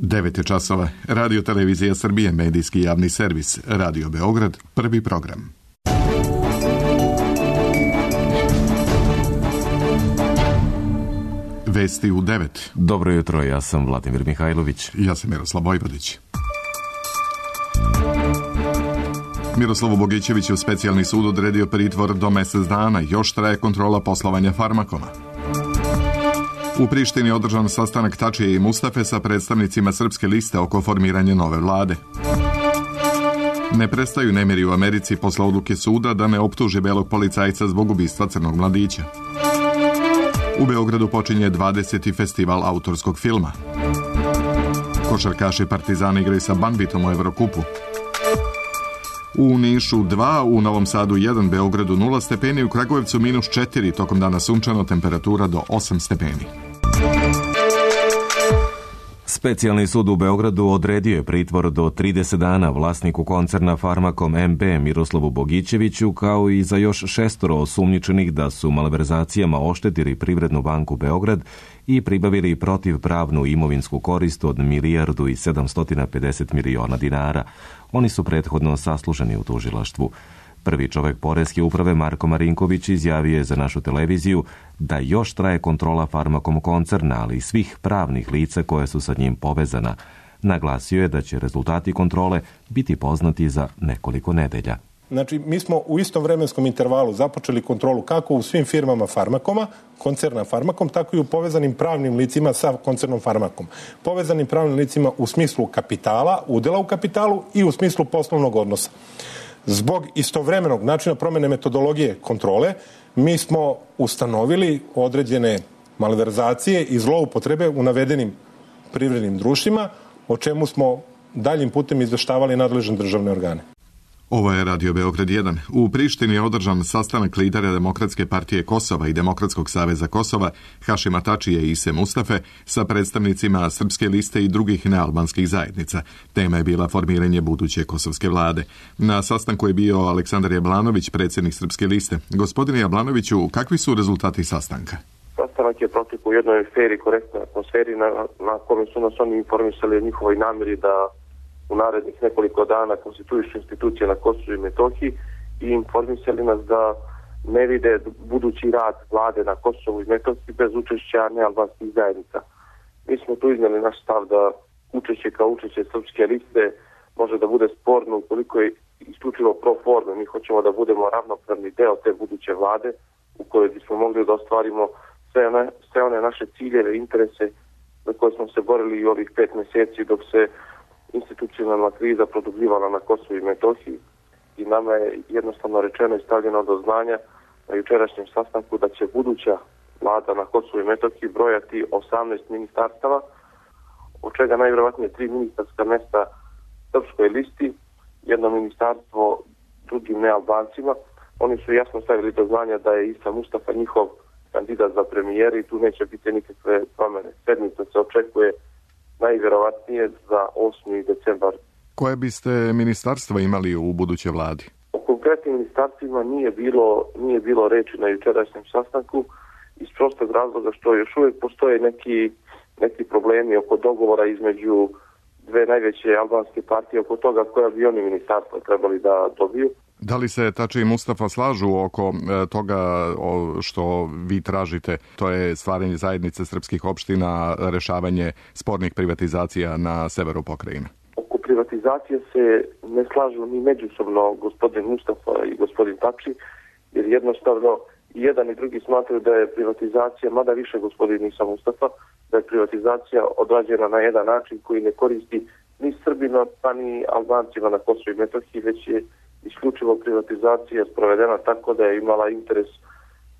9 je časova. Radio Televizija Srbije, medijski javni servis. Radio Beograd, prvi program. Vesti u 9. Dobro jutro, ja sam Vladimir Mihajlović. Ja sam Miroslav Vojvodić. Miroslavu Bogićeviću specijalni sud odredio pritvor do mjesec dana. Još traje kontrola poslovanja Farmakoma. U Prištini je održan sastanak Tačije i Mustafe sa predstavnicima Srpske liste oko formiranja nove vlade. Ne prestaju nemiri u Americi posle odluke suda da ne optuži belog policajca zbog ubistva crnog mladića. U Beogradu počinje 20. festival autorskog filma. Košarkaši Partizana igraju sa Banvitom u Evrokupu. U Nišu 2, u Novom Sadu 1, Beogradu 0 stepeni, u Kragujevcu -4, tokom dana sunčano, temperatura do 8 stepeni. Specijalni sud u Beogradu odredio je pritvor do 30 dana vlasniku koncerna Farmakom MB Miroslavu Bogićeviću, kao i za još 6 osumnjičenih da su malverzacijama oštetili Privrednu banku Beograd i pribavili protivpravnu imovinsku korist od 1.750.000.000 dinara. Oni su prethodno saslušani u tužilaštvu. Prvi čovek Poreske uprave Marko Marinković izjavio je za našu televiziju da još traje kontrola Farmakom koncerna, ali i svih pravnih lica koje su sa njim povezana. Naglasio je da će rezultati kontrole biti poznati za nekoliko nedelja. Znači, mi smo u istom vremenskom intervalu započeli kontrolu kako u svim firmama Farmakoma, koncerna Farmakom, tako i u povezanim pravnim licima sa koncernom Farmakom. Povezanim pravnim licima u smislu kapitala, udela u kapitalu i u smislu poslovnog odnosa. Zbog istovremenog načina promjene metodologije kontrole, mi smo ustanovili određene malverzacije i zloupotrebe u navedenim privrednim društvima, o čemu smo daljim putem izveštavali nadležne državne organe. Ovo je Radio Beograd 1. U Prištini je održan sastanak lidera Demokratske partije Kosova i Demokratskog saveza Kosova, Hašima Tačije i Ise Mustafe, sa predstavnicima Srpske liste i drugih nealbanskih zajednica. Tema je bila formiranje buduće kosovske vlade. Na sastanku je bio Aleksandar Jablanović, predsjednik Srpske liste. Gospodine Jablanoviću, kakvi su rezultati sastanka? Sastanak je protekao u jednoj feri, korektnoj atmosferi na kome su nas oni informisali o njihovoj namjeri da u narednih nekoliko dana konstituišu institucije na Kosovu i Metohiji i informisali nas da ne vide budući rad vlade na Kosovu i Metohiji bez učešća nealbanskih zajednica. Mi smo tu iznijeli naš stav da učešće kao učešće Srpske liste može da bude sporno ukoliko je isključivo pro forme. Mi hoćemo da budemo ravnopravni deo te buduće vlade u kojoj bismo mogli da ostvarimo sve one naše ciljeve, interese za koje smo se borili i ovih 5 mjeseci dok se institucionalna kriza produbljivala na Kosovu i Metohiji i nama je jednostavno rečeno i stavljeno do znanja na jučerašnjem sastanku da će buduća vlada na Kosovu i Metohiji brojati 18 ministarstava, od čega najvjerovatnije 3 ministarska mjesta Srpskoj listi, jedno ministarstvo drugim nealbancima. Oni su jasno stavili do znanja da je Isa Mustafa njihov kandidat za premijera i tu neće biti nikakve promjene. Sedmica se očekuje najvjerovatnije za 8. decembar. Koje biste ministarstva imali u budućoj vladi? O konkretnim ministarstvima nije bilo reči na jučerašnjem sastanku iz prostog razloga što još uvijek postoje neki problemi oko dogovora između dve najveće albanske partije oko toga koja bi oni ministarstva trebali da dobiju. Da li se Tači i Mustafa slažu oko toga što vi tražite, to je stvaranje zajednice srpskih opština, rešavanje spornih privatizacija na severu pokrajine? Oko privatizacije se ne slažu ni međusobno gospodin Mustafa i gospodin Tači, jer jednostavno i jedan i drugi smatraju da je privatizacija, mada više gospodin Isa Mustafa, da je privatizacija odrađena na jedan način koji ne koristi ni Srbima pa ni Albancima na Kosovu i Metohiji, već je isključivo privatizacija sprovedena tako da je imala interes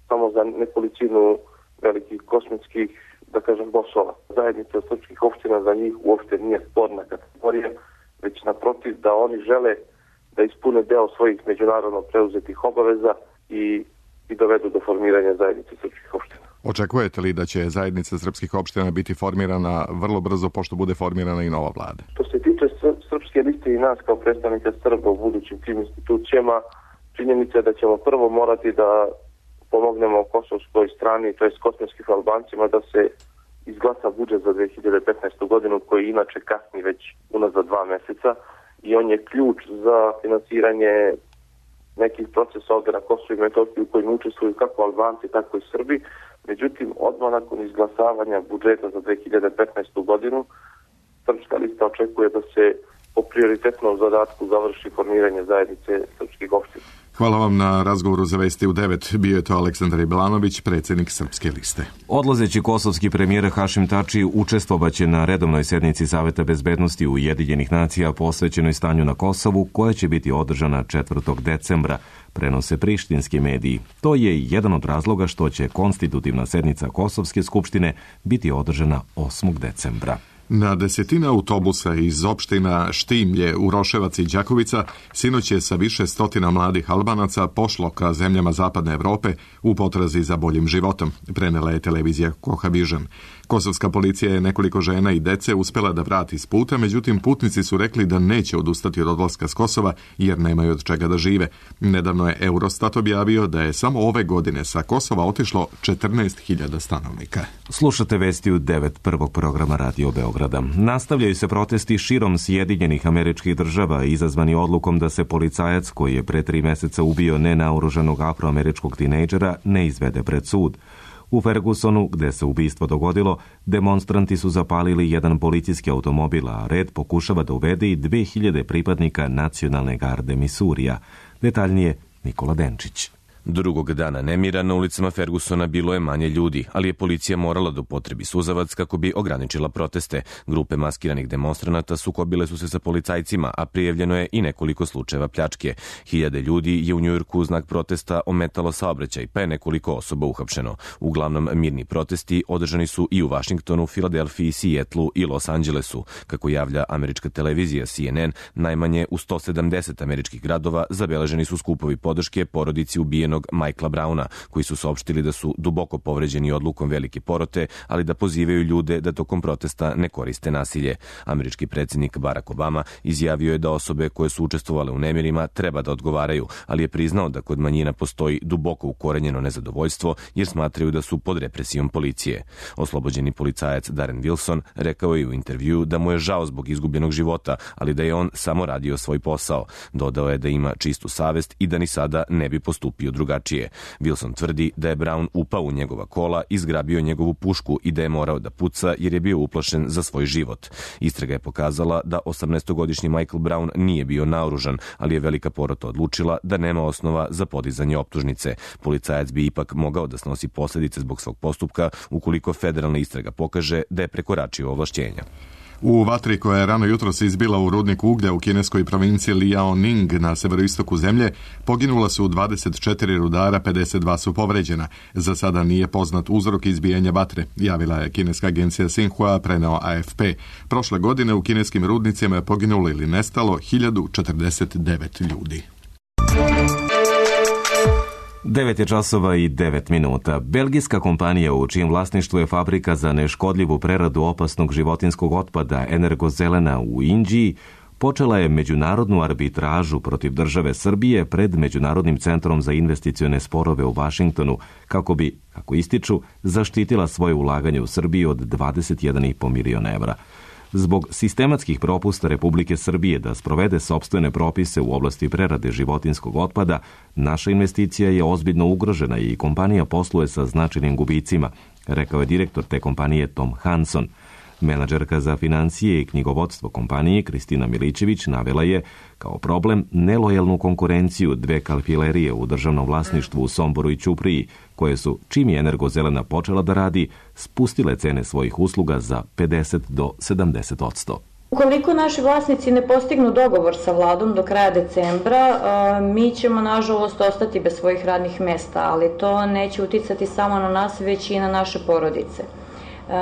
samo za nekolicinu velikih kosmitskih, da kažem, bosova. Zajednica srpskih opština za njih uopšte nije sporna kategorija, već naprotiv da oni žele da ispune deo svojih međunarodno preuzetih obaveza i dovedu do formiranja zajednice srpskih opština. Očekujete li da će zajednica srpskih opština biti formirana vrlo brzo pošto bude formirana i nova vlada? Što se tiče Srpske liste i nas kao predstavnika Srba u budućim tim institucijama, činjenica je da ćemo prvo morati da pomognemo kosovskoj strani, to jest kosovskim Albancima, da se izglasa budžet za 2015. godinu koji inače kasni već unazad 2 meseca i on je ključ za finansiranje nekih procesa ovdje na Kosovu i Metohiji u kojim učestvuju kako Albanci, tako i Srbi. Međutim, odmah nakon izglasavanja budžeta za 2015. godinu, Srpska lista očekuje da se po prioritetnom zadatku završi formiranje zajednice srpskih opština. Hvala vam na razgovoru za Vesti u 9. Bio je to Aleksandar Iblanović, predsjednik Srpske liste. Odlazeći kosovski premijer Hašim Tači učestvovaće na redovnoj sednici Saveta bezbednosti Ujedinjenih nacija posvećenoj stanju na Kosovu, koja će biti održana 4. decembra, prenose prištinski mediji. To je jedan od razloga što će konstitutivna sednica Kosovske skupštine biti održana 8. decembra. Na desetine autobusa iz opština Štimlje, Uroševac i Đakovica sinoć je sa više stotina mladih Albanaca pošlo ka zemljama Zapadne Evrope u potrazi za boljim životom, prenela je televizija Kohavižan. Kosovska policija je nekoliko žena i dece uspela da vrati s puta, međutim putnici su rekli da neće odustati od odlaska s Kosova jer nemaju od čega da žive. Nedavno je Eurostat objavio da je samo ove godine sa Kosova otišlo 14.000 stanovnika. Slušate Vesti u 9 prvog programa Radio Beograda. Nastavljaju se protesti širom Sjedinjenih Američkih Država izazvani odlukom da se policajac koji je pre 3 meseca ubio nenaoružanog afroameričkog tinejdžera ne izvede pred sud. U Fergusonu, gde se ubistvo dogodilo, demonstranti su zapalili jedan policijski automobil, a red pokušava da uvede i 2000 pripadnika Nacionalne garde Misurija. Detaljnije Nikola Denčić. Drugog dana nemira na ulicama Fergusona bilo je manje ljudi, ali je policija morala da upotrebi suzavac kako bi ograničila proteste. Grupe maskiranih demonstranata sukobile su se sa policajcima, a prijavljeno je i nekoliko slučajeva pljačke. Hiljade ljudi je u Njujorku u znak protesta ometalo saobraćaj, pa je nekoliko osoba uhapšeno. Uglavnom mirni protesti održani su i u Vašingtonu, Filadelfiji, Sijetlu i Los Angelesu. Kako javlja američka televizija CNN, najmanje u 170 američkih gradova zabeleženi su skupovi podrške porodici ubijenog Michaela Browna, koji su saopštili da su duboko povređeni odlukom velike porote, ali da pozivaju ljude da tokom protesta ne koriste nasilje. Američki predsjednik Barack Obama izjavio je da osobe koje su učestvovale u nemirima treba da odgovaraju, ali je priznao da kod manjina postoji duboko ukorenjeno nezadovoljstvo jer smatraju da su pod represijom policije. Oslobođeni policajac Darren Wilson rekao je u intervjuu da mu je žao zbog izgubljenog života, ali da je on samo radio svoj posao. Dodao je da ima čistu savest i da ni sada ne bi postupio drugačije. Wilson tvrdi da je Brown upao u njegova kola, izgrabio njegovu pušku i da je morao da puca jer je bio uplašen za svoj život. Istraga je pokazala da 18-godišnji Michael Brown nije bio naoružan, ali je velika porota odlučila da nema osnova za podizanje optužnice. Policajac bi ipak mogao da snosi posljedice zbog svog postupka ukoliko federalna istraga pokaže da je prekoračio ovlašćenja. U vatri koja je rano jutros izbila u rudniku uglja u kineskoj provinciji Liaoning na severoistoku zemlje, poginula su 24 rudara, 52 su povređena. Za sada nije poznat uzrok izbijanja vatre, javila je kineska agencija Xinhua, preneo AFP. Prošle godine u kineskim rudnicima je poginulo ili nestalo 1049 ljudi. 9 časova i 9 minuta. Belgijska kompanija u čijem vlasništvu je fabrika za neškodljivu preradu opasnog životinskog otpada Energozelena u Inđiji počela je međunarodnu arbitražu protiv države Srbije pred Međunarodnim centrom za investicione sporove u Vašingtonu kako bi, kako ističu, zaštitila svoje ulaganje u Srbiji od 21,5 miliona evra. Zbog sistematskih propusta Republike Srbije da sprovede sopstvene propise u oblasti prerade životinskog otpada, naša investicija je ozbiljno ugrožena i kompanija posluje sa značajnim gubicima, rekao je direktor te kompanije Tom Hanson. Menadžerka za financije i knjigovodstvo kompanije Kristina Milićević navela je kao problem nelojalnu konkurenciju dve kalfilerije u državnom vlasništvu u Somboru i Ćupriji, koje su, čim je Energozelena počela da radi, spustile cene svojih usluga za 50 do 70%. Ukoliko naši vlasnici ne postignu dogovor sa vladom do kraja decembra, mi ćemo nažalost ostati bez svojih radnih mesta, ali to neće uticati samo na nas, već i na naše porodice.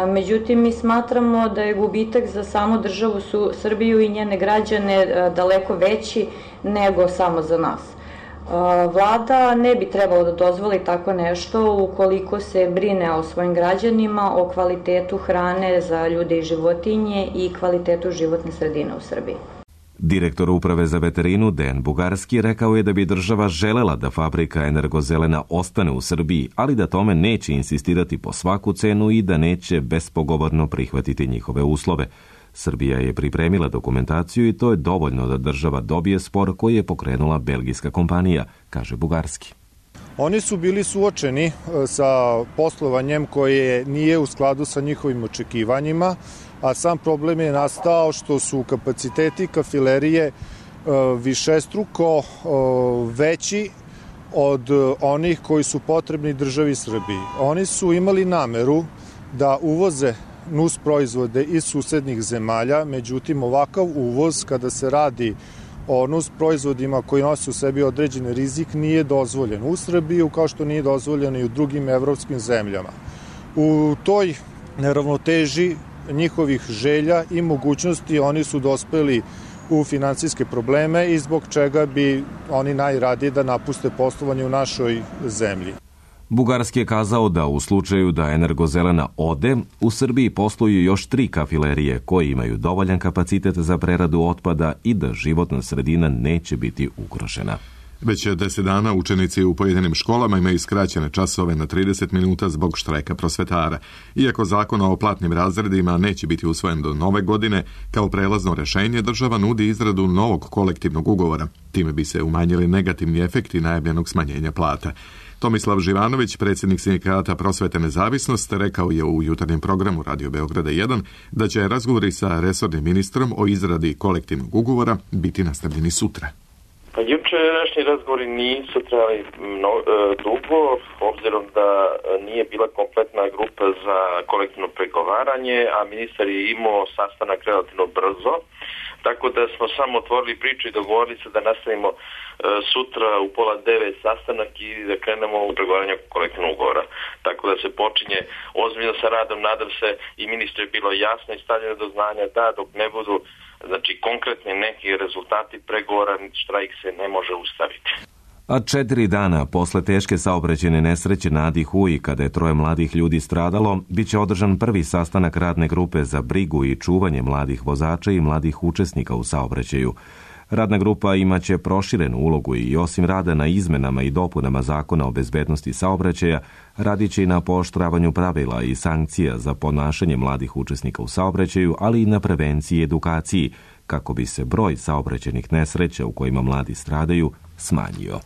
Međutim, mi smatramo da je gubitak za samu državu Srbiju i njene građane daleko veći nego samo za nas. Vlada ne bi trebalo da dozvoli tako nešto ukoliko se brine o svojim građanima, o kvalitetu hrane za ljude i životinje i kvalitetu životne sredine u Srbiji. Direktor Uprave za veterinu Dejan Bugarski rekao je da bi država želela da fabrika Energozelena ostane u Srbiji, ali da tome neće insistirati po svaku cenu i da neće bespogovorno prihvatiti njihove uslove. Srbija je pripremila dokumentaciju i to je dovoljno da država dobije spor koji je pokrenula belgijska kompanija, kaže Bugarski. Oni su bili suočeni sa poslovanjem koje nije u skladu sa njihovim očekivanjima, a sam problem je nastao što su kapaciteti kafilerije višestruko veći od onih koji su potrebni državi Srbiji. Oni su imali nameru da uvoze nus proizvode iz susednih zemalja, međutim ovakav uvoz kada se radi o nus proizvodima koji nose u sebi određeni rizik nije dozvoljen u Srbiji, kao što nije dozvoljeno i u drugim evropskim zemljama. U toj neravnoteži njihovih želja i mogućnosti oni su dospeli u finansijske probleme i zbog čega bi oni najradije da napuste poslovanje u našoj zemlji. Bugarski je kazao da u slučaju da Energozelena ode, u Srbiji posluju još 3 kafilerije koji imaju dovoljan kapacitet za preradu otpada i da životna sredina neće biti ugrožena. Već 10 dana učenici u pojedinim školama imaju skraćene časove na 30 minuta zbog štrajka prosvetara. Iako zakon o platnim razredima neće biti usvojen do nove godine, kao prelazno rešenje država nudi izradu novog kolektivnog ugovora. Time bi se umanjili negativni efekti najavljenog smanjenja plata. Tomislav Živanović, predsjednik sindikata Prosvete Nezavisnost, rekao je u jutarnjem programu Radio Beograda 1 da će razgovori sa resornim ministrom o izradi kolektivnog ugovora biti nastavljeni sutra. Jučerašnji razgovori nisu trajali dugo, obzirom da nije bila kompletna grupa za kolektivno pregovaranje, a ministar je imao sastanak relativno brzo, tako da smo samo otvorili priču i dogovorili se da nastavimo sutra u 8:30 sastanak i da krenemo u pregovaranje kolektivnog ugovora. Tako da se počinje ozbiljno sa radom, nadam se i ministru je bilo jasno i stavljeno do znanja da dok ne budu konkretni neki rezultati pregovora, štrajk se ne može ustaviti. A 4 dana posle teške saobraćajne nesreće na Adi Huji, kada je 3 mladih ljudi stradalo, bit će održan prvi sastanak radne grupe za brigu i čuvanje mladih vozača i mladih učesnika u saobraćaju. Radna grupa imaće proširenu ulogu i osim rada na izmenama i dopunama Zakona o bezbednosti saobraćaja, radit će i na pooštravanju pravila i sankcija za ponašanje mladih učesnika u saobraćaju, ali i na prevenciji i edukaciji, kako bi se broj saobraćajnih nesreća u kojima mladi stradaju smanjio.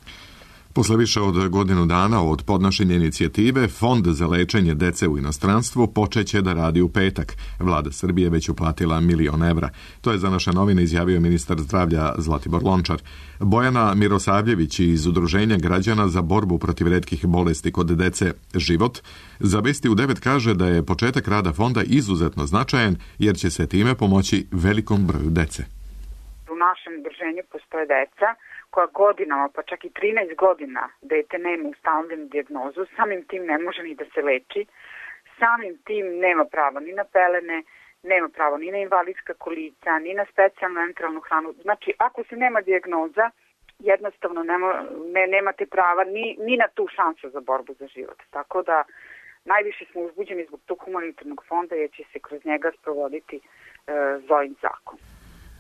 Posle više od godinu dana od podnošenja inicijative, Fond za lečenje dece u inostranstvu počeće da radi u petak. Vlada Srbije već uplatila 1 milion evra. To je za naše novine izjavio ministar zdravlja Zlatibor Lončar. Bojana Mirosavljević iz Udruženja građana za borbu protiv retkih bolesti kod dece Život za Vesti u 9 kaže da je početak rada fonda izuzetno značajan jer će se time pomoći velikom broju dece. U našem udruženju postoje deca koja godinama, pa čak i 13 godina dete nema ustanovljenu dijagnozu, samim tim ne može ni da se leči, samim tim nema pravo ni na pelene, nema pravo ni na invalidska kolica, ni na specijalnu enteralnu hranu. Znači, ako se nema dijagnoza, jednostavno nemate prava ni na tu šansu za borbu za život. Tako da najviše smo uzbuđeni zbog tog humanitarnog fonda jer će se kroz njega sprovoditi Zojin zakon.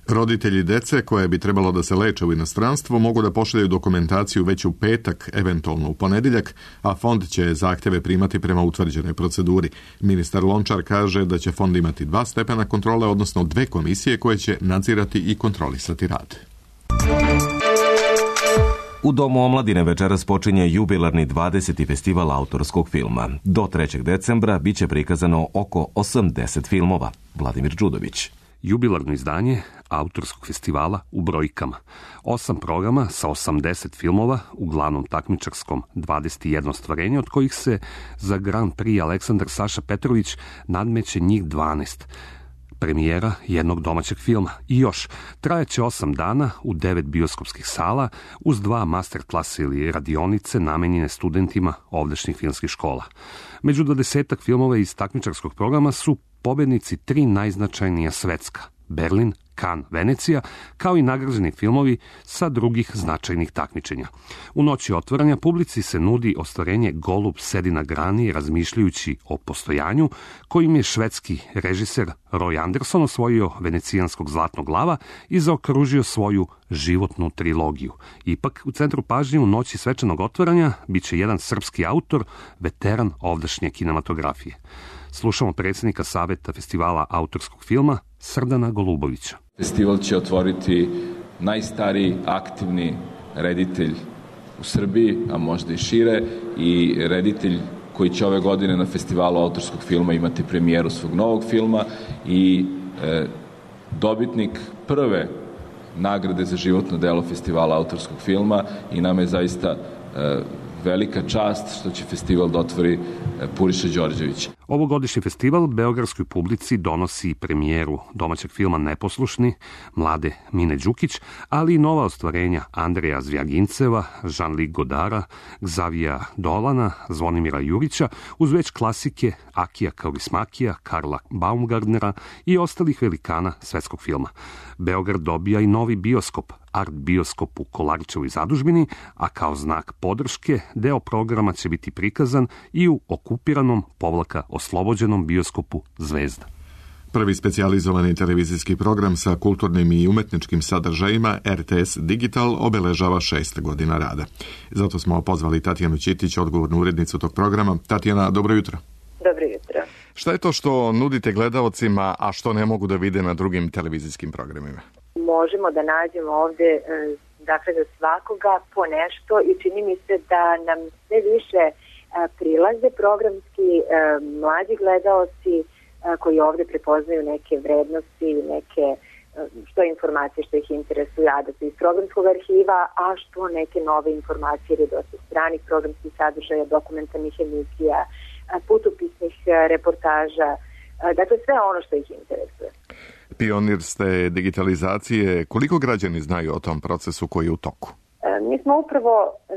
Roditelji dece koje bi trebalo da se leče u inostranstvu mogu da pošaljaju dokumentaciju već u petak, eventualno u ponedjeljak, a fond će zahtjeve primati prema utvrđenoj proceduri. Ministar Lončar kaže da će fond imati 2 stepena kontrole, odnosno 2 komisije koje će nadzirati i kontrolisati rad. U Domu omladine večeras počinje jubilarni 20. festival autorskog filma. Do 3. decembra biće prikazano oko 80 filmova. Vladimir Đudović. Jubilarno izdanje autorskog festivala u brojkama. 8 programa sa 80 filmova, uglavnom takmičarskom 21 stvarenje, od kojih se za Grand Prix Aleksandar Saša Petrović nadmeće njih 12. Premijera jednog domaćeg filma. I još, trajaće 8 dana u 9 bioskopskih sala uz 2 masterklasa ili radionice namenjene studentima ovdašnjih filmskih škola. Među 20 filmova iz takmičarskog programa su pobednici 3 najznačajnija svetska: Berlin, Cannes, Venecija, kao i nagrađeni filmovi sa drugih značajnih takmičenja. U noći otvaranja publici se nudi ostvarenje Golub sedi na grani razmišljajući o postojanju, kojim je švedski režiser Roy Anderson osvojio venecijanskog Zlatnog lava i zaokružio svoju životnu trilogiju. Ipak, u centru pažnje u noći svečanog otvaranja biće jedan srpski autor, veteran ovdašnje kinematografije. Slušamo predsjednika Saveta festivala autorskog filma Srdana Golubovića. Festival će otvoriti najstariji aktivni reditelj u Srbiji, a možda i šire, i reditelj koji će ove godine na festivalu autorskog filma imati premijeru svog novog filma i dobitnik prve nagrade za životno delo festivala autorskog filma, i nam je zaista velika čast što će festival da otvori Puriša Đorđević. Ovogodišnji festival beogradskoj publici donosi premijeru domaćeg filma Neposlušni, mlade Mine Đukić, ali i nova ostvarenja Andreja Zvjaginceva, Jean-Luc Godara, Xavija Dolana, Zvonimira Jurića, uz već klasike Akija Kaurismakija, Karla Baumgartnera i ostalih velikana svetskog filma. Beograd dobija i novi bioskop, Art bioskop u Kolarićevoj zadužbini, a kao znak podrške deo programa će biti prikazan i u okupiranom oslobođenom bioskopu Zvezda. Prvi specijalizovani televizijski program sa kulturnim i umetničkim sadržajima, RTS Digital, obeležava 6 godina rada. Zato smo pozvali Tatjanu Ćitić, odgovornu urednicu tog programa. Tatjana, dobro jutro. Dobro jutro. Šta je to što nudite gledaocima, a što ne mogu da vide na drugim televizijskim programima? Možemo da nađemo ovde, dakle, za svakoga po nešto, i čini mi se da nam sve više prilaze programski mlađi gledaoci koji ovde prepoznaju neke vrednosti, neke što informacije što ih interesuje, a da su iz programskog arhiva, a što neke nove informacije, jer je dosta stranih programskih sadržaja, dokumentarnih emisija, putopisnih reportaža, dakle sve ono što ih interesuje. Pionir ste digitalizacije. Koliko građani znaju o tom procesu koji je u toku? Mi smo upravo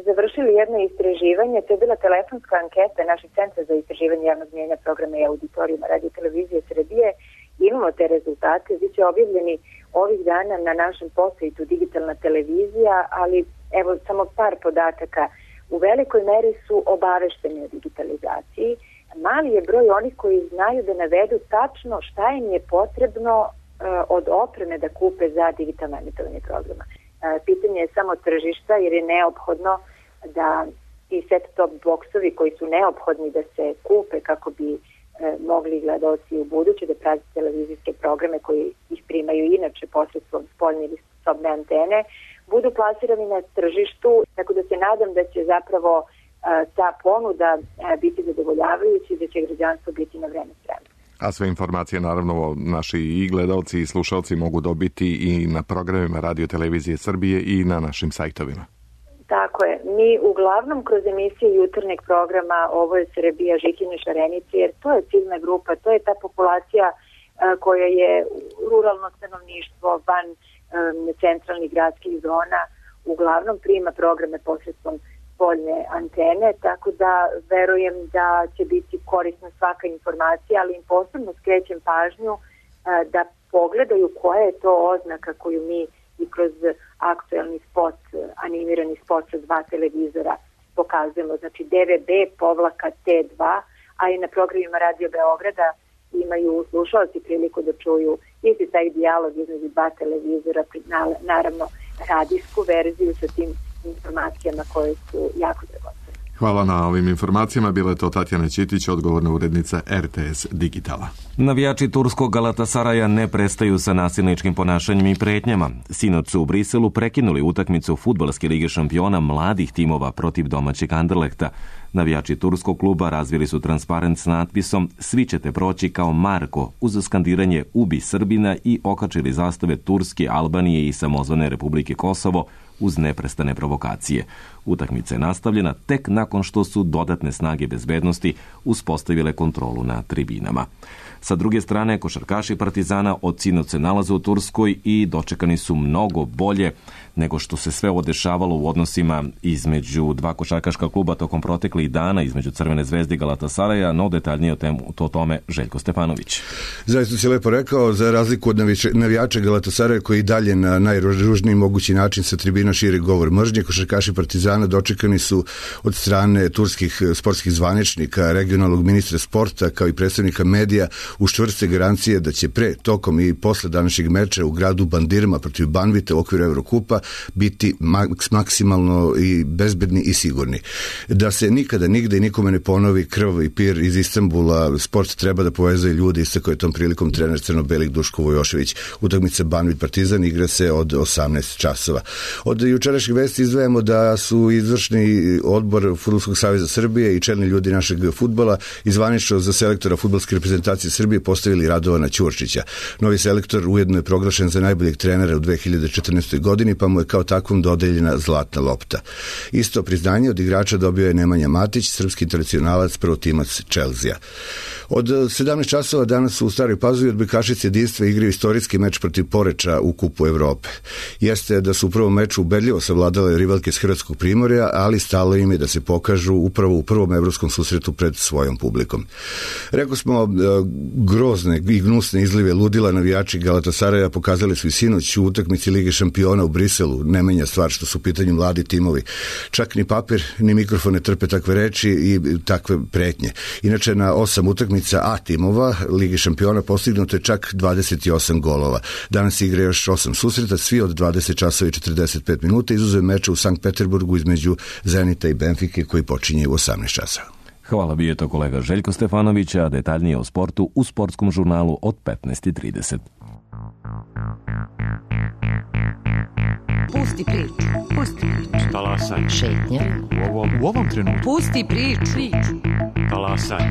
završili jedno istraživanje, to je bila telefonska anketa našeg Centra za istraživanje javnog mnijenja, programa i auditorijuma Radio televizije Srbije. Imamo te rezultate, bit će objavljeni ovih dana na našem posajtu Digitalna televizija, ali evo samo par podataka. U velikoj meri su obavešteni o digitalizaciji. Mali je broj onih koji znaju da navedu tačno šta im je potrebno od opreme da kupe za digitalno emitovanje programa. Pitanje je samo tržišta, jer je neophodno da i set-top boksovi koji su neophodni da se kupe kako bi mogli gledaoci u buduće da prate televizijske programe koji ih primaju inače posredstvom spoljne ili sobne antene, budu plasirani na tržištu, tako da se nadam da će zapravo ta ponuda biti zadovoljavajuća i da će građanstvo biti na vreme spremno. A sve informacije, naravno, naši i gledalci i slušalci mogu dobiti i na programima Radio televizije Srbije i na našim sajtovima. Tako je. Mi uglavnom kroz emisije jutarnjeg programa Ovo je Srbija, Žikine Šarenice, jer to je ciljna grupa, to je ta populacija koja je ruralno stanovništvo van centralnih gradskih zona, uglavnom prima programe posredstvom spoljne antene, tako da verujem da će biti korisna svaka informacija, ali im posebno skrećem pažnju da pogledaju koja je to oznaka koju mi i kroz aktuelni spot, animirani spot sa 2 televizora pokazujemo, znači DVB-T2, a i na programima Radio Beograda imaju slušalci priliku da čuju isti taj dijalog između 2 televizora, naravno radijsku verziju sa tim informacijama koje su jako dragocene. Hvala na ovim informacijama. Bila je to Tatjana Ćitić, odgovorna urednica RTS Digitala. Navijači turskog Galatasaraja ne prestaju sa nasilničkim ponašanjem i pretnjama. Sinoć su u Briselu prekinuli utakmicu Fudbalske lige šampiona mladih timova protiv domaćeg Anderlehta. Navijači turskog kluba razvili su transparent s natpisom "Svi ćete proći kao Marko" uz skandiranje "Ubi Srbina" i okačili zastave Turske, Albanije i samozvane Republike Kosovo uz neprestane provokacije. Utakmica je nastavljena tek nakon što su dodatne snage bezbednosti uspostavile kontrolu na tribinama. Sa druge strane, košarkaši Partizana od sinoć se nalaze u Turskoj i dočekani su mnogo bolje nego što se sve ovo dešavalo u odnosima između dva košarkaška kluba tokom proteklih dana, između Crvene zvezde i Galatasaraja, no detaljnije o tome Željko Stefanović. Zaista si lepo rekao, za razliku od navijača Galatasaraja koji dalje na najružniji mogući način sa tribina širi govor mržnje, košarkaši Partizana dočekani su od strane turskih sportskih zvaničnika, regionalnog ministra sporta kao i predstavnika medija uz čvrste garancije da će pre, tokom i posle današnjeg meča u gradu Bandirma protiv Banvite u okviru Evrokupa biti maksimalno i bezbedni i sigurni. Da se nikada, nigde i nikome ne ponovi krvavi pir iz Istanbula, sport treba da povezuje ljudi, istakao je tom prilikom trener crno-belih Duško Vojošević. Utakmica Banvit Partizan igra se od 18 časova. Od jučerašnjih vesti izdvajamo da su izvršni odbor Fudbalskog saveza Srbije i čelni ljudi našeg fudbala izvanično za selektora fudbalske reprezentacije Srbije postavili Radovana Ćurčića. Novi selektor ujedno je proglašen za najboljeg trenera u 2014. godini, pa mu je kao takvom dodeljena zlatna lopta. Isto priznanje od igrača dobio je Nemanja Matić, srpski internacionalac, prvotimac Chelsea. Od 17 časova danas u Staroj Pazovi odbojkašice jedinstva igraju istorijski meč protiv Poreča u Kupu Evrope. Jeste da su u prvom meču ubedljivo savladale rivalke s Hrvatskog Primorja, ali stalo im je da se pokažu upravo u prvom evropskom susretu pred svojom publikom. Rekao smo, grozne i gnusne izlive ludila navijači Galatasaraja pokazali su i sinoć u utakmici Lige šampiona u Briselu. Ne menja stvar što su u pitanju mladi timovi. Čak ni papir, ni mikrofon ne trpe takve reči i takve pretnje. Inače, na 8 utakmica A timova Lige šampiona postignuto je čak 28 golova. Danas igra još 8 susreta, svi od 20 časova i 45 minuta, izuzev meča u Sankt Peterburgu između Zenita i Benfike koji počinje u 18 časova. Hvala, bio je to kolega Željko Stefanović, a detaljnije o sportu u sportskom žurnalu od 15:30. Pusti priču. Pusti priču. Talasaj. Šetnja. U ovom trenutku. Pusti priču. Talasaj.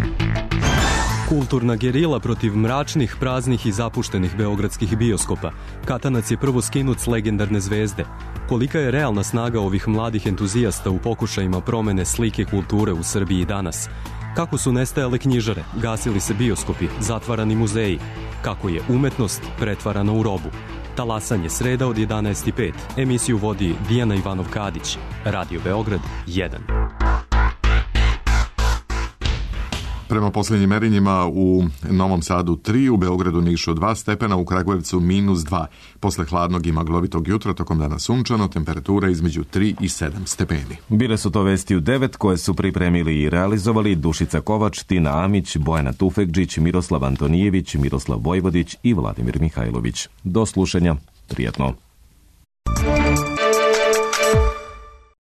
Kulturna gerila protiv mračnih, praznih i zapuštenih beogradskih bioskopa. Katanac je prvo skinut s legendarne zvezde. Kolika je realna snaga ovih mladih entuzijasta u pokušajima promene slike kulture u Srbiji danas? Kako su nestajale knjižare, gasili se bioskopi, zatvarani muzeji? Kako je umetnost pretvarana u robu? Talasanje, sreda od 11:05. Emisiju vodi Dijana Ivanov-Kadić. Radio Beograd 1. Prema posljednjim merenjima u Novom Sadu 3, u Beogradu, Nišu 2 stepena, u Kragujevcu -2. Posle hladnog i maglovitog jutra, tokom dana sunčano, temperatura između 3 i 7 stepeni. Bile su to vesti u 9 koje su pripremili i realizovali Dušica Kovač, Tina Amić, Bojana Tufekđić, Miroslav Antonijević, Miroslav Vojvodić i Vladimir Mihajlović. Do slušanja, prijatno.